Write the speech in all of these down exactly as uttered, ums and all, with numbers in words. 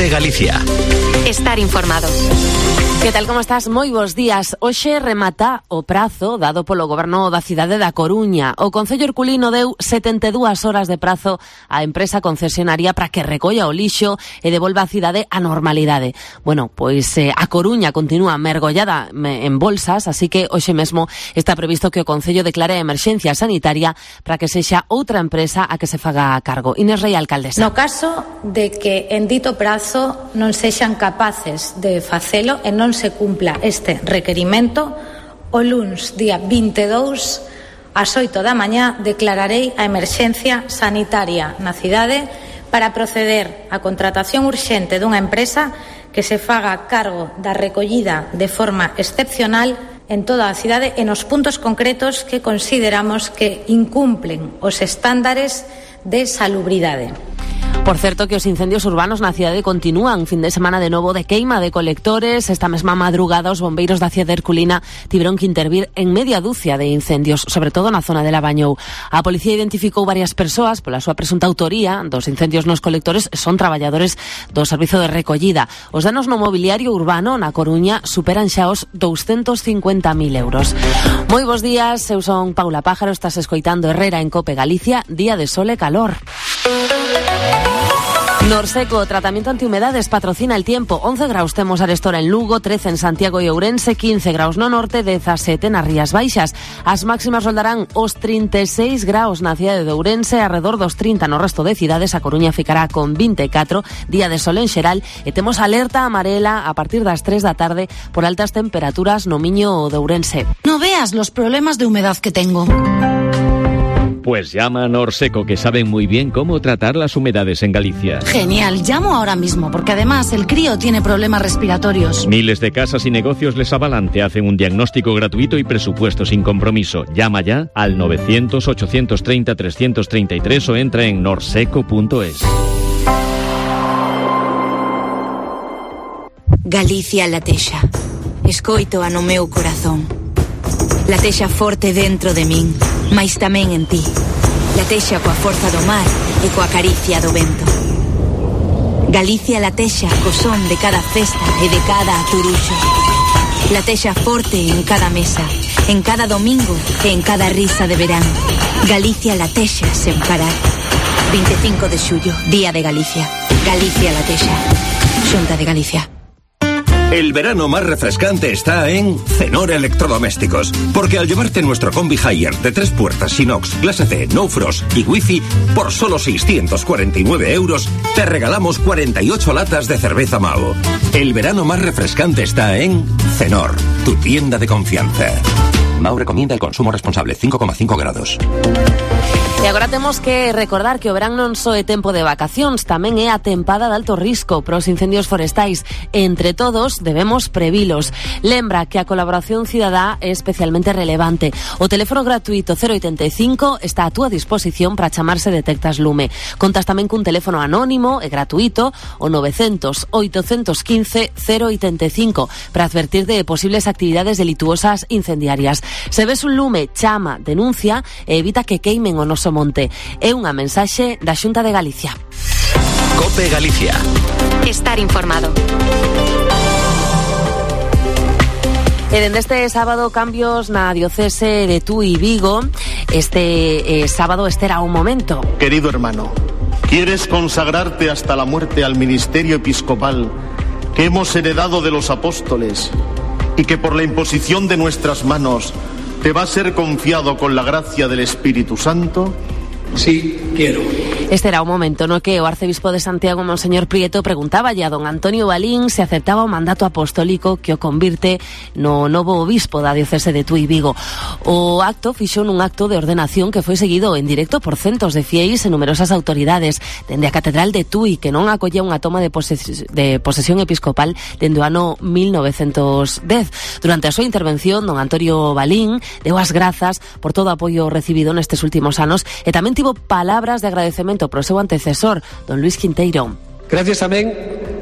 COPE Galicia. Estar informado. Que tal, como estás? Moi bons días. Hoxe remata o prazo dado polo Goberno da cidade da Coruña. O Concello Herculino deu setenta e dúas horas de prazo á empresa concesionaria para que recolla o lixo e devolva á cidade a normalidade. Bueno, pois eh, a Coruña continúa mergollada en bolsas, así que hoxe mesmo está previsto que o Concello declare emerxencia sanitaria para que sexa outra empresa a que se faga cargo. Inés Rei, alcaldesa. No caso de que en dito prazo non sexan capaces de facelo e non se cumpla este requerimento, o luns día vinte e dous ás oito da mañá declararei a emerxencia sanitaria na cidade para proceder á contratación urxente dunha empresa que se faga cargo da recollida de forma excepcional en toda a cidade e nos puntos concretos que consideramos que incumplen os estándares de salubridade. Por certo, que os incendios urbanos na cidade continúan. Fin de semana de novo de queima de colectores. Esta mesma madrugada os bombeiros da cidade herculina tiveron que intervir en media dúcia de incendios, sobre todo na zona de Labañou. A policía identificou varias persoas pola súa presunta autoría dos incendios nos colectores. Son traballadores do servizo de recollida. Os danos no mobiliario urbano na Coruña superan xa os douscentos cincuenta mil euros. Moi bons días, eu son Paula Pájaro, estás escoitando Herrera en COPE Galicia, día de sol e calor. Norseco, tratamiento antihumedades, patrocina el tiempo. once graus temos arestora en Lugo, trece en Santiago e Ourense, quince graus no norte, dezasete nas Rías Baixas. As máximas roldarán os trinta e seis graus na cidade de Ourense, arredor dos trinta no resto de cidades. A Coruña ficará con vinte e catro, día de sol en xeral, e temos alerta amarela a partir das tres da tarde por altas temperaturas no Miño de Ourense. No veas los problemas de humedad que tengo. Pues llama a Norseco, que saben muy bien cómo tratar las humedades en Galicia. Genial, llamo ahora mismo, porque además el crío tiene problemas respiratorios. Miles de casas y negocios les avalan, te hacen un diagnóstico gratuito y presupuesto sin compromiso. Llama ya al novecientos, ochocientos treinta, trescientos treinta y tres o entra en norseco punto es. Galicia latexa. Escoito a no meu corazón. Latexa forte dentro de min, mais tamén en ti. Latexa coa forza do mar e coa caricia do vento. Galicia latexa co son de cada festa e de cada aturuxo. Latexa forte en cada mesa, en cada domingo e en cada risa de verán. Galicia latexa sen parar. vinte e cinco de xullo, Día de Galicia. Galicia latexa. Xunta de Galicia. El verano más refrescante está en Cenor Electrodomésticos, porque al llevarte nuestro Combi Hire de tres puertas inox, clase C, no frost y wifi por solo seiscientos cuarenta y nueve euros, te regalamos cuarenta y ocho latas de cerveza Mao. El verano más refrescante está en Cenor, tu tienda de confianza. Mao recomienda el consumo responsable, cinco coma cinco grados. E agora temos que recordar que o verán non só é tempo de vacacións, tamén é a tempada de alto risco para os incendios forestais. Entre todos debemos previlos. Lembra que a colaboración cidadá é especialmente relevante. O teléfono gratuito cero oitenta e cinco está a túa disposición para chamar se detectas lume. Contas tamén cun teléfono anónimo e gratuito, o novecientos, oitocentos quince, cero oitenta e cinco, para advertir de posibles actividades delituosas incendiarias. Se ves un lume, chama, denuncia e evita que queimen o noso monte. É unha mensaxe da Xunta de Galicia. COPE Galicia. Estar informado. E dende este sábado cambios na diocese de Tui Vigo. Este eh, sábado este era un momento. Querido hermano, ¿quieres consagrarte hasta la muerte al ministerio episcopal que hemos heredado de los apóstoles y que por la imposición de nuestras manos te va a ser confiado con la gracia del Espíritu Santo? Sí, quiero. Este era o momento no que o arcebispo de Santiago, Monseñor Prieto, preguntaba a don Antonio Balín se aceptaba o mandato apostólico que o convirte no novo obispo da diocese de Tui Vigo. O acto fixo nun acto de ordenación que foi seguido en directo por centos de fieis e numerosas autoridades, dende a Catedral de Tui, que non acollía unha toma de, poses de posesión episcopal dende o ano mil novecentos dez. Durante a súa intervención, don Antonio Balín deu as grazas por todo o apoio recibido nestes últimos anos e tamén tivo palabras de agradecemento pro seu antecesor, don Luis Quinteiro. Gracias tamén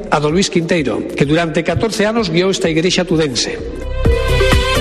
a don Luis Quinteiro, que durante catorce anos guiou esta igrexa tudense.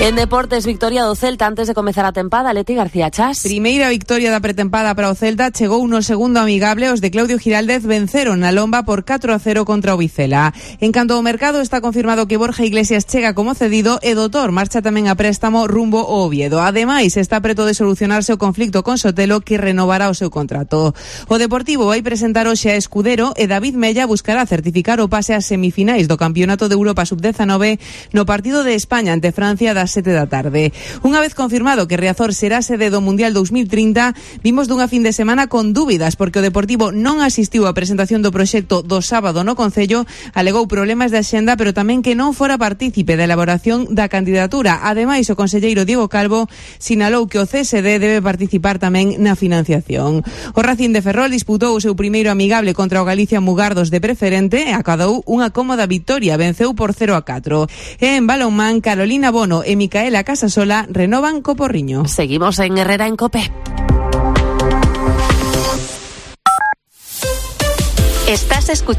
En deportes, victoria do Celta antes de comezar a tempada. Leti García Chas. Primeira victoria da pretempada para o Celta. Chegou no segundo amigable. Os de Claudio Giraldez venceron na Lomba por catro a cero contra o Vizela. En canto ao mercado, está confirmado que Borja Iglesias chega como cedido e Doutor marcha tamén a préstamo rumbo ao Oviedo. Ademais, está preto de solucionarse o conflicto con Sotelo, que renovará o seu contrato. O Deportivo vai presentar hoxe a Escudero e David Mella buscará certificar o pase ás semifinais do Campeonato de Europa sub diecinueve no partido de España ante Francia das sete da tarde. Unha vez confirmado que Riazor será sede do Mundial dos mil trinta, vimos dunha fin de semana con dúbidas porque o Deportivo non asistiu á presentación do proxecto do sábado no Concello, alegou problemas de axenda, pero tamén que non fora partícipe da elaboración da candidatura. Ademais, o conselleiro Diego Calvo sinalou que o C S D debe participar tamén na financiación. O Racing de Ferrol disputou o seu primeiro amigable contra o Galicia Mugardos de preferente e acadou unha cómoda victoria, venceu por cero a catro. E en balonmán, Carolina Bono e Micaela Casasola renovan co Porriño. Seguimos en Herrera en COPE. Estás escuchando